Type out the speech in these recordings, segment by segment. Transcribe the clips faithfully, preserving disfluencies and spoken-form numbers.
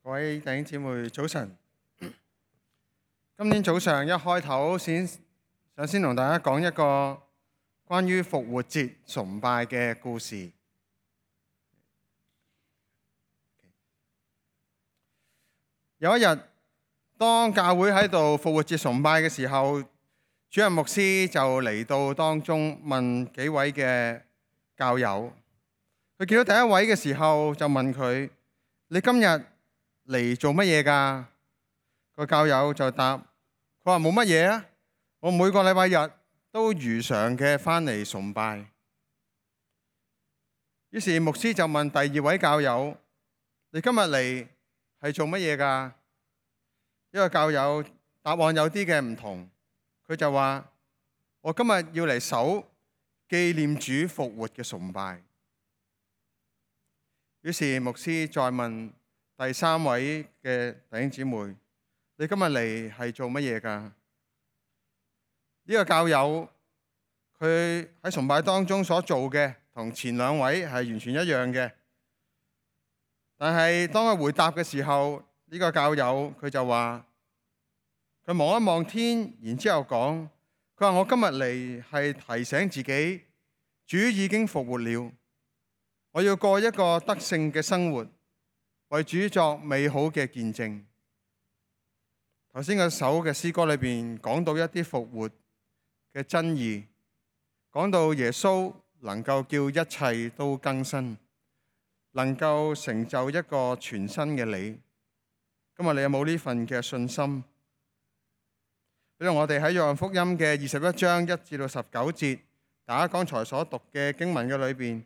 各位弟兄姊妹，早晨。今天早上一開頭先想先同大家講一個關於復活節崇拜嘅故事。有一日，當教會喺度復活節崇拜嘅時候，主任牧師就嚟到當中問幾位嘅教友。佢見到第一位嘅時候，就問佢：你今日嚟做乜嘢㗎？個教友就答：佢話冇乜嘢啊，我每個禮拜日都如常嘅返嚟崇拜。於是牧師就問第二位教友：你今日嚟係做乜嘢㗎？呢個教友答案有啲嘅唔同，佢就話：我今日要嚟守紀念主復活嘅崇拜。於是牧師再問第三位嘅弟兄姊妹：你今日嚟係做乜嘢㗎？呢個教友佢喺崇拜當中所做嘅同前兩位係完全一樣嘅，但係當佢回答嘅時候，呢個教友佢就話：佢望一望天，然之後講：佢話我今日嚟係提醒自己，主已經復活了，我要過一個得勝嘅生活，為主作美好嘅見證。頭先嗰首嘅詩歌裏邊講到一啲復活嘅真義，講到耶穌能夠叫一切都更新，能夠成就一個全新嘅你。今日你有冇呢份嘅信心？比如我哋喺約翰福音嘅二十一章一至到十九節，大家剛才所讀嘅經文嘅裏邊，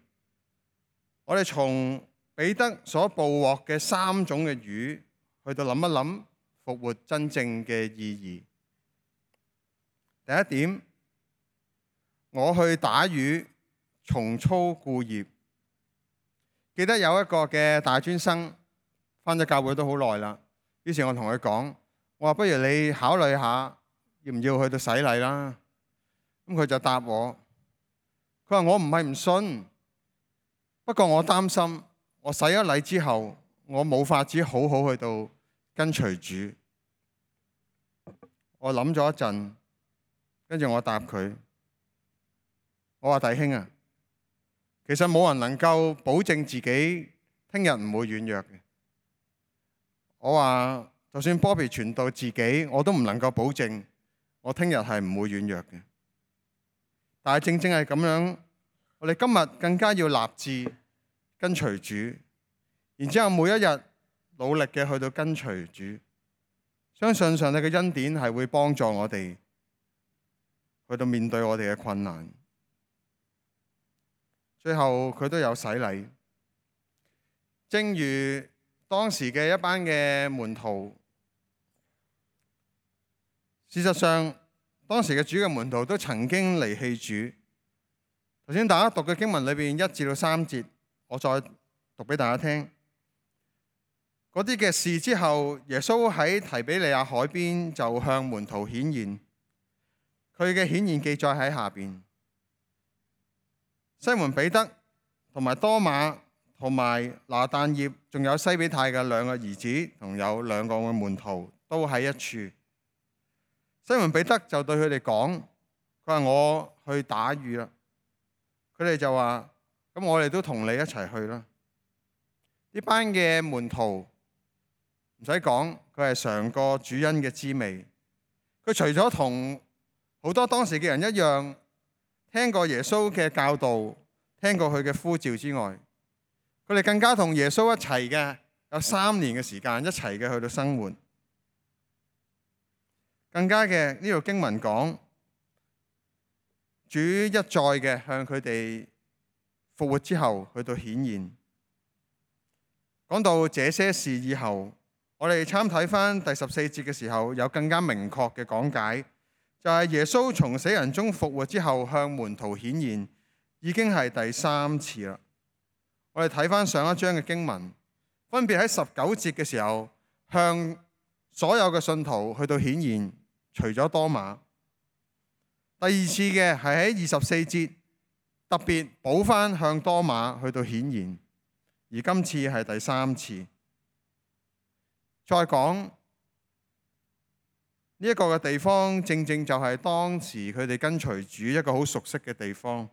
我哋從彼得所捕獲嘅三種嘅魚，去到諗一諗復活真正嘅意義。第一點，我去打魚，重操故業。記得有一個嘅大專生返咗教會都好耐啦，於是我同佢講：我話不如你考慮下，要唔要去到洗禮啦？咁佢就答我，佢話我唔係唔信，不過我擔心我洗咗禮之後，我冇法子好好去到跟隨主。我諗咗一陣，跟住我答佢，我話弟兄啊，其實冇人能夠保證自己聽日唔會軟弱嘅。我話就算 Bobby 傳道自己，我都唔能夠保證我聽日係唔會軟弱嘅。但係正正係咁樣，我哋今日更加要立志跟隨主，然之後每一日努力嘅去到跟隨主，相信上帝嘅恩典係會幫助我哋去到面對我哋嘅困難。最後佢都有洗禮，正如當時嘅一班嘅門徒。事實上，當時嘅主嘅門徒都曾經離棄主。頭先大家讀嘅經文裏邊一至到三節，我再讀俾大家聽。嗰啲嘅事之後，耶穌喺提比利亞海邊就向門徒顯現。佢嘅顯現記載喺下邊。西門彼得同埋多馬同埋拿但業，仲有西比泰嘅兩個兒子，同有兩個嘅門徒都喺一處。西門彼得就對佢哋講：佢話我去打魚啦。佢哋就話：咁我哋都同你一齊去啦。呢班嘅門徒唔使講，佢係嘗過主恩嘅滋味。佢除咗同好多當時嘅人一樣，聽過耶穌嘅教導，聽過佢嘅呼召之外，佢哋更加同耶穌一齊嘅，有三年嘅時間一齊嘅去到生活。更加嘅呢條經文講，主一再嘅向佢哋復活之後去到顯現。講到這些事以後，我哋參睇翻第十四節嘅時候，有更加明確嘅講解，就係耶穌從死人中復活之後向門徒顯現，已經係第三次啦。我哋睇翻上一章嘅經文，分別喺十九節嘅時候向所有嘅信徒去到顯現，除咗多馬。第二次嘅係喺二十四節特別補翻向多馬去到顯現，而今次係第三次。再講呢一個嘅地方，正正就係當時佢哋跟隨主一個好熟悉嘅地方。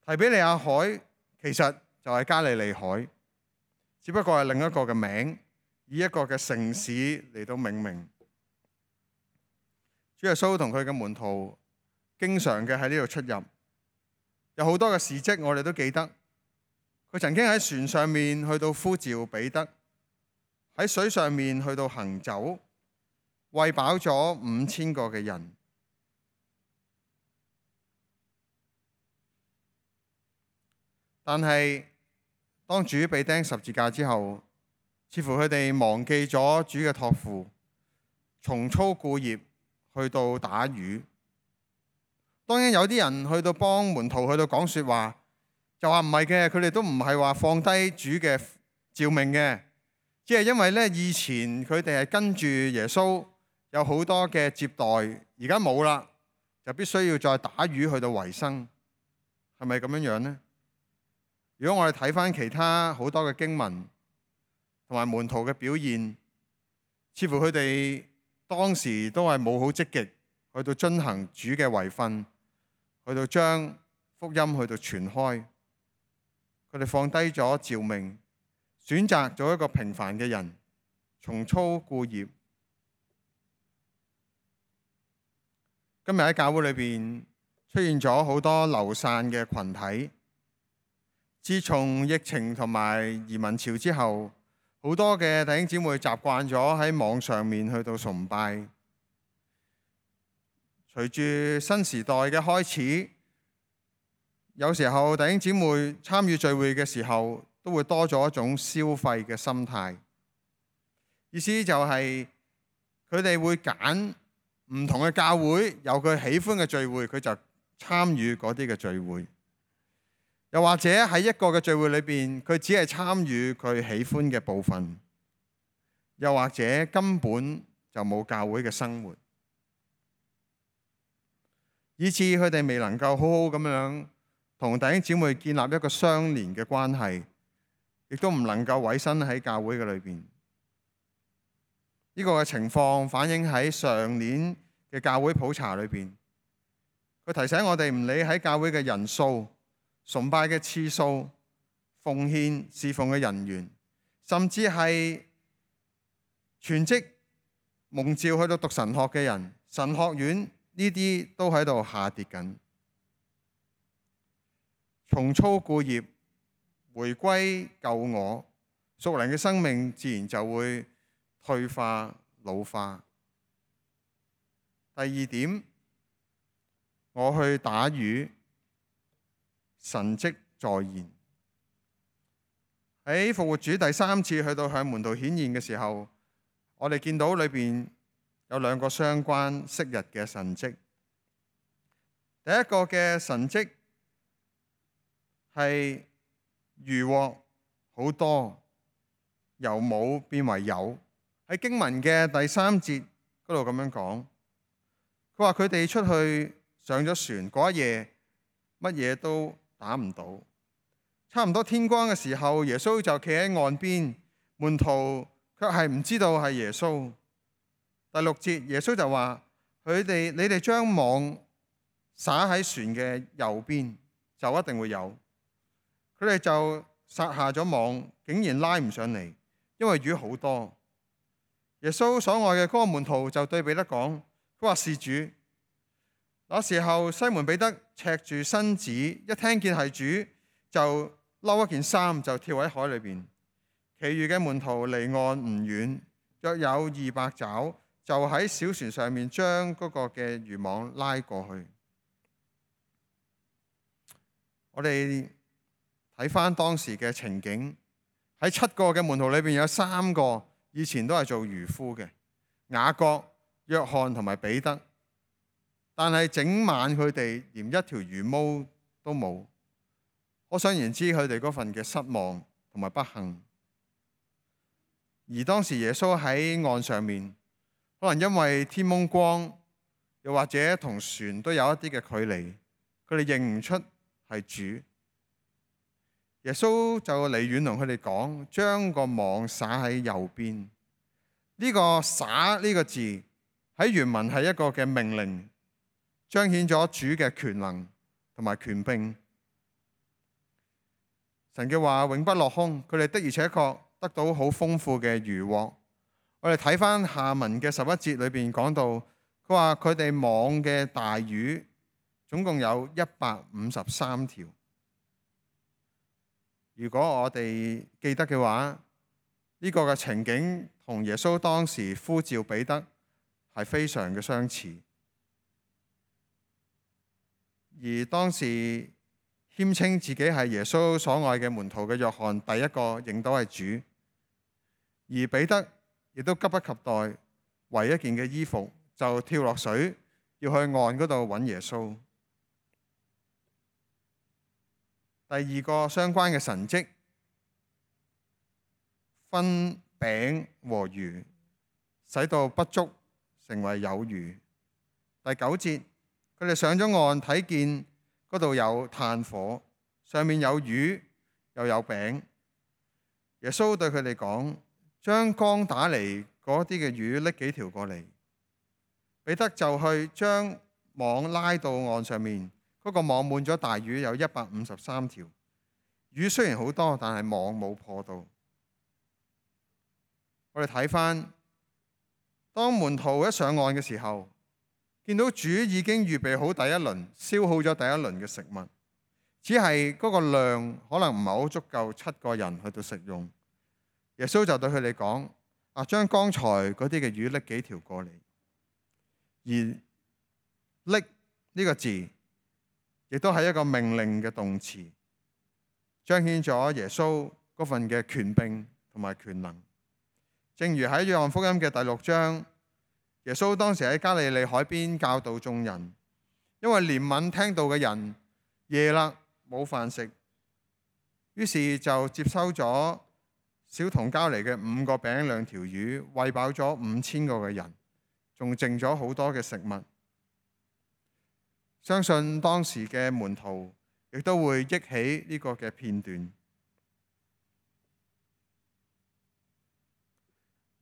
提比利亞海其實就係加利利海，只不過係另一個嘅名，以一個嘅城市嚟到命名。主耶穌同佢嘅門徒經常嘅喺呢度出入，有好多嘅事蹟我哋都記得。佢曾經喺船上面去到呼召彼得，喺水上面去到行走，餵飽咗五千個嘅人。但係當主被釘十字架之後，似乎佢哋忘記咗主嘅託付，重操故業去到打魚。當然有啲人去到幫門徒去到講說話，就話唔係嘅，佢哋都唔係話放低主嘅召命嘅，只係因為咧以前佢哋係跟住耶穌有好多嘅接待，而家冇啦，就必須要再打魚去到維生，係咪咁樣樣呢？如果我哋睇翻其他好多嘅經文同埋門徒嘅表現，似乎佢哋當時都係冇好積極去到遵行主嘅遺訓，去到將福音去到傳開。佢哋放低咗召命，選擇做一個平凡嘅人，重操故業。今日喺教會裏邊出現咗好多流散嘅群體。自從疫情同埋移民潮之後，好多嘅弟兄姊妹習慣咗喺網上面去到崇拜。隨住新時代嘅開始，有時候弟兄姊妹參與聚會嘅時候，都會多咗一種消費嘅心態。意思就係佢哋會揀唔同嘅教會，有佢喜歡嘅聚會，佢就參與嗰啲嘅聚會。又或者喺一個嘅聚會裏邊，佢只係參與佢喜歡嘅部分，又或者根本就冇教會嘅生活，以致佢哋未能夠好好咁樣同弟兄姊妹建立一個相連嘅關係，亦都唔能夠委身喺教會嘅裏邊。呢個嘅情況反映喺上年嘅教會普查裏邊，佢提醒我哋唔理喺教會嘅人數、崇拜嘅次數、奉獻侍奉嘅人員，甚至係全職蒙召去到讀神學嘅人，神學院呢啲都喺度下跌緊。重操故業，回歸舊我，屬靈嘅生命自然就會退化老化。第二點，我去打魚，神蹟在現。喺復活主第三次去到向門徒顯現嘅時候，我哋見到裏邊有兩個相關昔日嘅神蹟。第一個嘅神蹟係魚獲好多，由冇變為有。喺經文嘅第三節嗰度咁樣講，佢話佢哋出去上咗船嗰一夜，乜嘢都打唔到。差唔多天光嘅時候，耶穌就企喺岸邊，門徒卻係唔知道係耶穌。第六節，耶穌就話：佢哋你哋將網撒喺船嘅右邊，就一定會有。佢哋就撒下咗網，竟然拉唔上嚟，因為魚好多。耶穌所愛嘅嗰個門徒就對彼得講：佢話是主。那時候西門彼得赤住身子，一聽見係主，就嬲一件衫就跳喺海裏邊。其餘嘅門徒離岸唔遠，約有二百肘，就喺小船上面將嗰個嘅漁網拉過去。我哋睇翻當時嘅情景，喺七個嘅門徒裏邊有三個以前都係做漁夫嘅，雅各、約翰同埋彼得。但係整晚佢哋連一條魚毛都冇，可想而知佢哋嗰份嘅失望同埋不幸。而當時耶穌喺岸上面，可能因為天蒙光，又或者同船都有一啲嘅距離，佢哋認唔出係主。耶穌就離遠同佢哋講，將個網撒喺右邊。呢個灑呢個字喺原文係一個嘅命令，彰顯咗主嘅權能同埋權柄。神嘅話永不落空，佢哋的而且確得到好豐富嘅漁獲。我哋睇翻下文嘅十一節裏邊講到，佢話佢哋網嘅大魚總共有一百五十三條。如果我哋記得嘅話，呢個嘅情景同耶穌當時呼召彼得係非常嘅相似。而當時謙稱自己係耶穌所愛嘅門徒嘅約翰，第一個認到係主。而彼得亦都急不及待，圍一件嘅衣服就跳落水，要去岸嗰度揾耶穌。第二個相關嘅神蹟，分餅和魚，使到不足成為有餘。第九節，佢哋上咗岸，睇見嗰度有炭火，上面有魚又有餅。耶穌對佢哋講，將剛打嚟嗰啲嘅魚拎幾條過嚟。彼得就去將網拉到岸上面，嗰、那個網滿咗大魚，有一百五十三條。魚雖然好多，但係網冇破到。我哋睇翻，當門徒一上岸嘅時候，見到主已經預備好第一輪，消耗咗第一輪嘅食物，只係嗰個量可能唔係好足夠七個人去到食用。耶穌就對佢哋講：啊，將剛才嗰啲嘅魚拎幾條過嚟。而拎呢個字，亦都係一個命令嘅動詞，彰顯咗耶穌嗰份嘅權柄同埋權能。正如喺約翰福音嘅第六章，耶穌當時喺加利利海邊教導眾人，因為憐憫聽道嘅人夜啦冇飯食，於是就接收咗小童交嚟嘅五個餅兩條魚，餵飽咗五千個嘅人，仲剩咗好多嘅食物。相信當時嘅門徒亦都會憶起呢個嘅片段。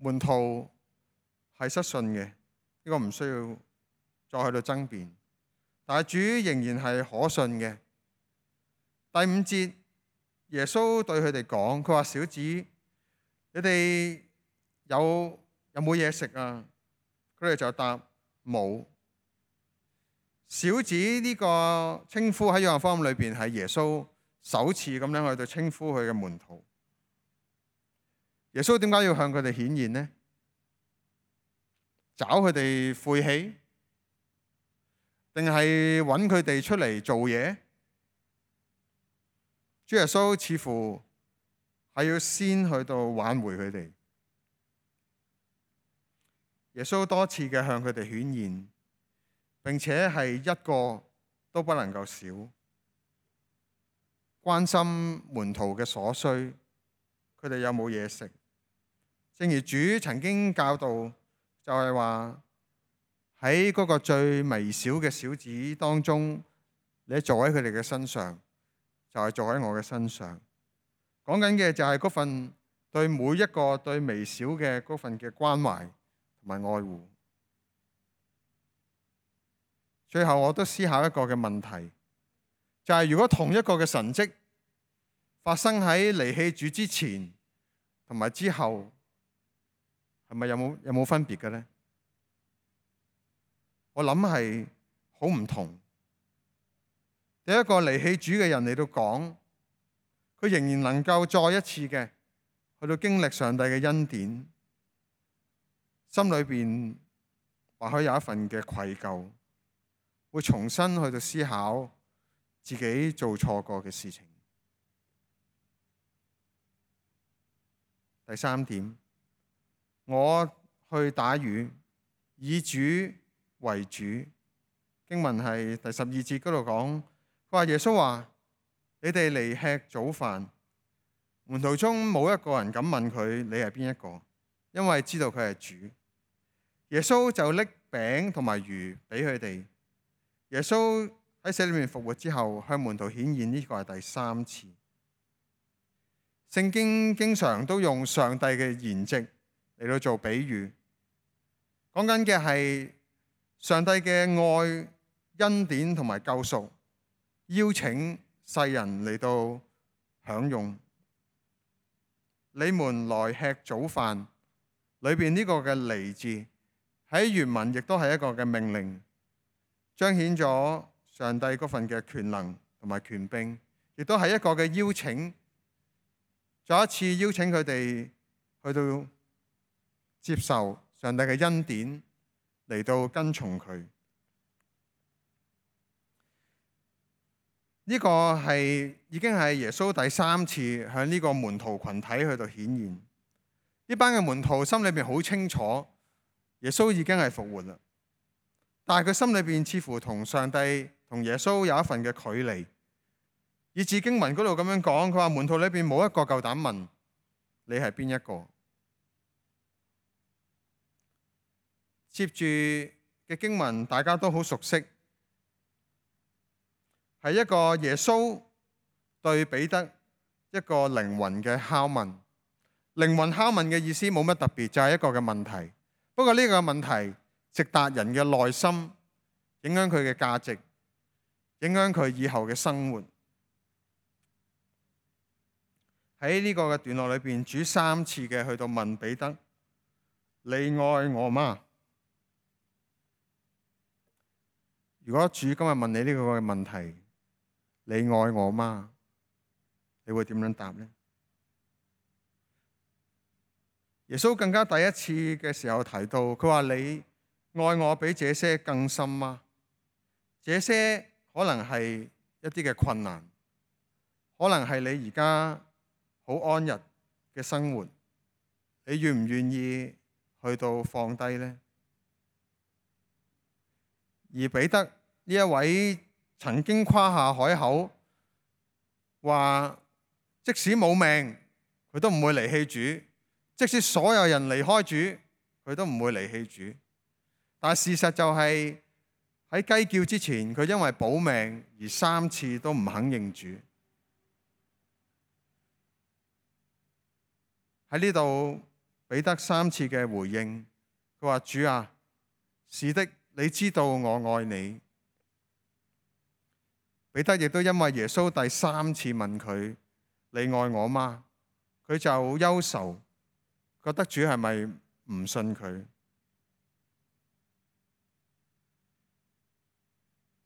門徒係失信嘅，呢個唔需要再去到爭辯。但係主仍然係可信嘅。第五節，耶穌對佢哋講，佢話：小子，你哋有有冇嘢食啊？佢哋就答冇。小子呢個稱呼喺約翰福音裏邊係耶穌首次咁樣去到稱呼佢嘅門徒。耶穌點解要向佢哋顯現呢？找佢哋晦氣，定係揾佢哋出嚟做嘢？主耶穌似乎係要先去到挽回佢哋。耶穌多次嘅向佢哋顯現，並且係一個都不能夠少，關心門徒嘅所需，佢哋有冇嘢食。正如主曾經教導，就係話喺嗰個最微小嘅小子當中，你坐喺佢哋嘅身上，就係坐喺我嘅身上。講緊嘅就係嗰份對每一個對微小嘅嗰份嘅關懷同埋愛護。最後我都思考一個嘅問題，就係如果同一個嘅神蹟發生喺離棄主之前同埋之後，係咪有冇有冇分別嘅呢？我諗係好唔同。第一個離棄主嘅人嚟到講，佢仍然能夠再一次嘅去到經歷上帝嘅恩典，心裏邊或許有一份嘅愧疚，會重新去到思考自己做錯過嘅事情。第三點，我去打魚，以主為主。經文係第十二節嗰度講，佢話耶穌話：你哋嚟吃早飯。門徒中冇一個人敢問佢你係邊一個，因為知道佢係主。耶穌就拎餅同埋魚俾佢哋。耶穌喺死裏面復活之後，向門徒顯現，呢個係第三次。聖經經常都用上帝嘅筵席嚟到做比喻，講緊嘅係上帝嘅愛、恩典同埋救贖，邀請世人嚟到享用。你們來吃早飯，裏邊呢個嘅嚟字喺原文亦都係一個嘅命令，彰顯咗上帝嗰份嘅權能同埋權柄，亦都係一個嘅邀請，再一次邀請佢哋去到接受上帝嘅恩典，嚟到跟從佢。呢個係已經係耶穌第三次向呢個門徒群體去到顯現。呢班嘅門徒心裏邊好清楚，耶穌已經係復活啦，但係佢心裏邊似乎同上帝同耶穌有一份嘅距離，以至經文嗰度咁樣講，佢話門徒裏邊冇一個夠膽問你係邊一個。接住嘅經文大家都好熟悉，係一個耶穌對彼得一個靈魂嘅拷問。靈魂拷問嘅意思冇乜特別，就係一個嘅問題。不過呢個問題直達人嘅內心，影響佢嘅價值，影響佢以後嘅生活。喺呢個嘅段落裏邊，主三次嘅去到問彼得：你愛我嗎？如果主今日問你呢個嘅問題，你愛我嗎？你會點樣答呢？耶穌更加第一次嘅時候提到，佢話你愛我比這些更深嗎？這些可能係一啲嘅困難，可能係你而家好安逸嘅生活，你願唔願意去到放低呢？而彼得呢一位曾經誇下海口，話即使冇命，佢都唔會離棄主。即使所有人離開主，佢都唔會離棄主。但事實就係喺雞叫之前，佢因為保命而三次都唔肯認主。喺呢度彼得三次嘅回應，佢話：主啊，是的，你知道我愛你。彼得亦都因為耶穌第三次問佢：你愛我嗎？佢就憂愁。覺得主係咪唔信佢？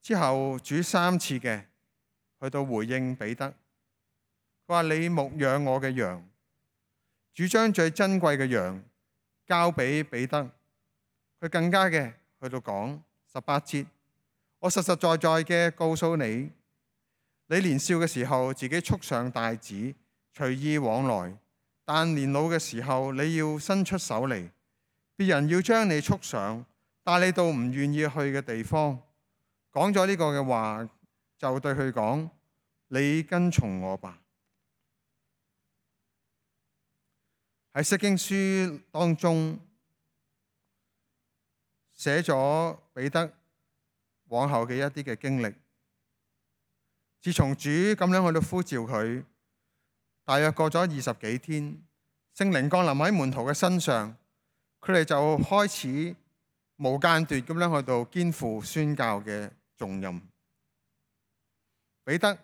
之後主三次嘅去到回應彼得，佢話：你牧養我嘅羊。主將最珍貴嘅羊交俾彼得，佢更加嘅去到講十八節：我實實在在嘅告訴你，你年少嘅時候自己束上帶子，隨意往來。但年老嘅時候，你要伸出手嚟，別人要將你束上，帶你到唔願意去嘅地方。講咗呢個嘅話，就對佢講：你跟從我吧。喺釋經書當中寫咗彼得往後嘅一啲嘅經歷。自從主咁樣去到呼召佢，大約過咗二十幾天，聖靈降臨喺門徒嘅身上，佢哋就開始無間斷咁樣去到肩負宣教嘅重任。彼得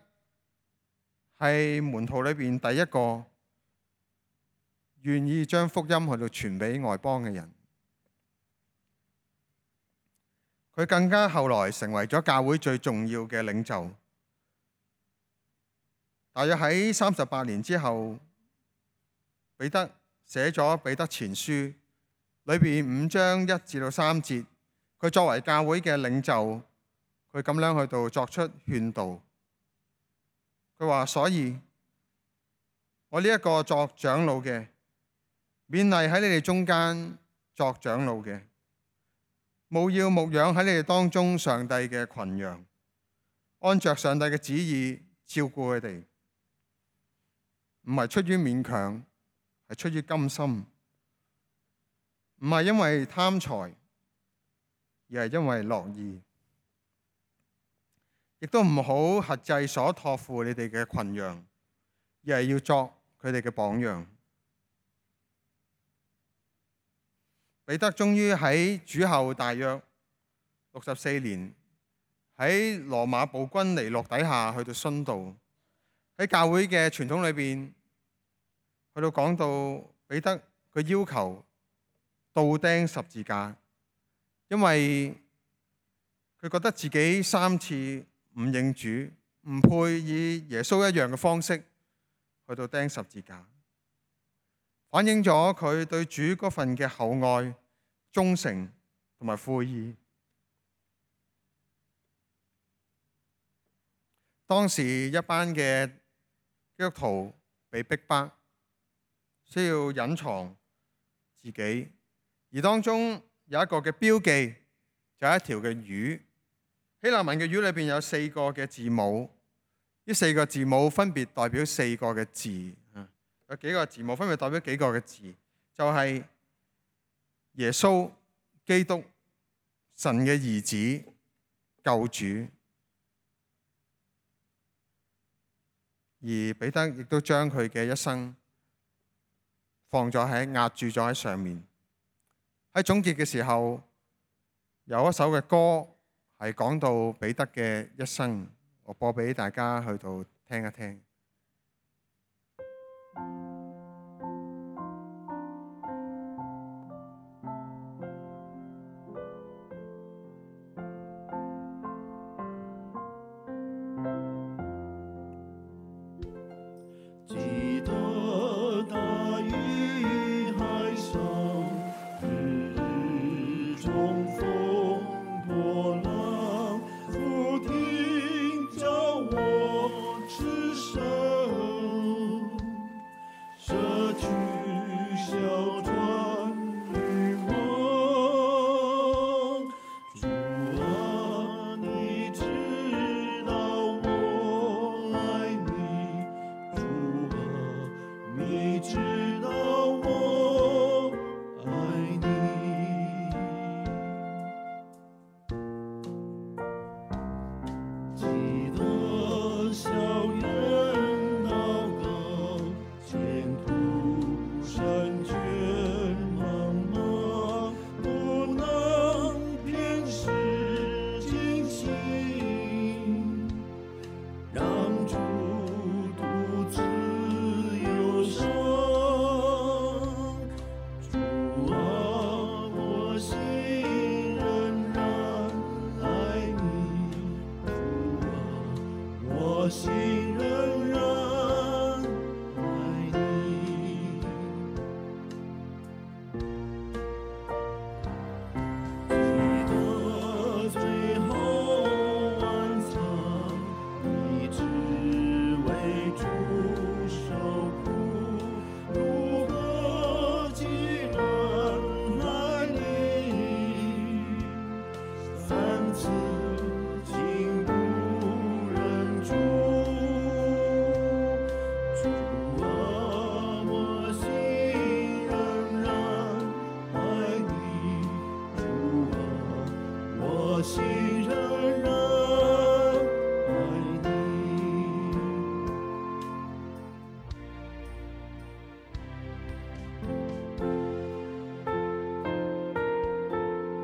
係門徒裏邊第一個願意將福音去到傳俾外邦嘅人。佢更加後來成為咗教會最重要嘅領袖。大約喺三十八年之後，彼得寫咗彼得前書，裏邊五章一至到三節，佢作為教會嘅領袖，佢咁樣去到作出勸導。佢話：所以我呢一個作長老嘅，勉勵喺你哋中間作長老嘅，務要牧養喺你哋當中上帝嘅群羊，按着上帝嘅旨意照顧佢哋。唔係出於勉強，係出於甘心。唔係因為貪財，而係因為樂意。亦都唔好轄制所託付你哋嘅群羊，而係要作佢哋嘅榜樣。彼得終於喺主後大約六十四年，喺羅馬暴君尼祿底下去到殉道。喺教會嘅傳統裏邊，去到講到彼得佢要求倒釘十字架，因為佢覺得自己三次唔認主，唔配以耶穌一樣嘅方式去到釘十字架，反映咗佢對主嗰份嘅厚愛、忠誠同埋悔意。當時一班嘅基督徒被逼迫，需要隱藏自己，而當中有一個嘅標記，就係一條嘅魚。希臘文嘅魚裏邊有四個嘅字母，呢四個字母分別代表四個嘅字。有幾個字母分別代表幾個嘅字，就係耶穌基督，神嘅兒子，救主。而彼得亦都將佢嘅一生放咗喺壓住咗喺上面。喺總結嘅時候，有一首嘅歌係講到彼得嘅一生，我播俾大家去到聽一聽。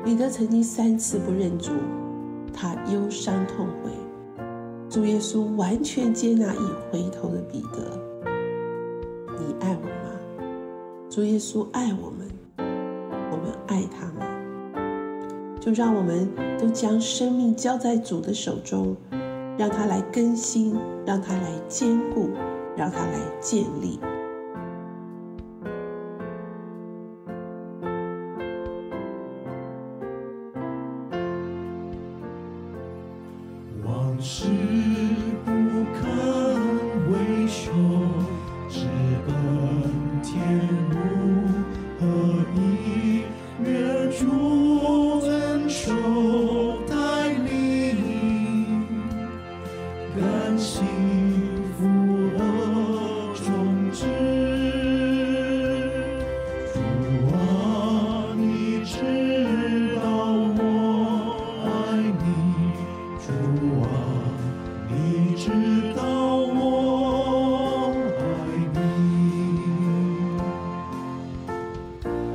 彼得曾經三次不認主，他憂傷痛悔。主耶穌完全接納已回頭的彼得。你愛我嗎？主耶穌愛我們，我們愛他嗎？就讓我們都將生命交在主的手中，讓他來更新，讓他來堅固，讓他來建立。往事不堪回首，直奔天路，何以愿主恩手带领，甘心负恶终止。主啊，你知道我爱你，主啊，你知道我愛你。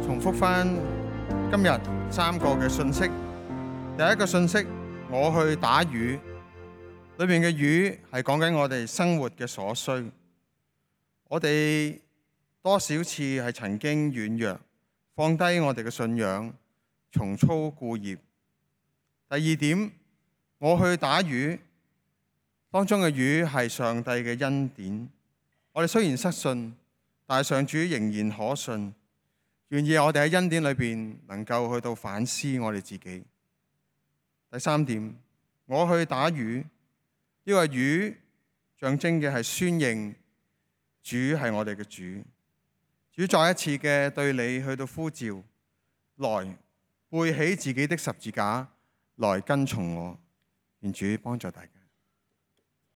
重複翻今日三個嘅信息。第一個信息，我去打魚，裏面嘅魚係講緊我哋生活嘅所需。我哋多少次係曾經軟弱，放低我哋嘅信仰，重操故業。第二點，我去打魚，當中嘅魚係上帝嘅恩典。我哋雖然失信，但係上主仍然可信，願意我哋喺恩典裏邊能夠去到反思我哋自己。第三點，我去打魚，呢個魚象徵嘅係宣認主係我哋嘅主。主再一次嘅對你去到呼召，來背起自己的十字架來跟從我。願主幫助大家。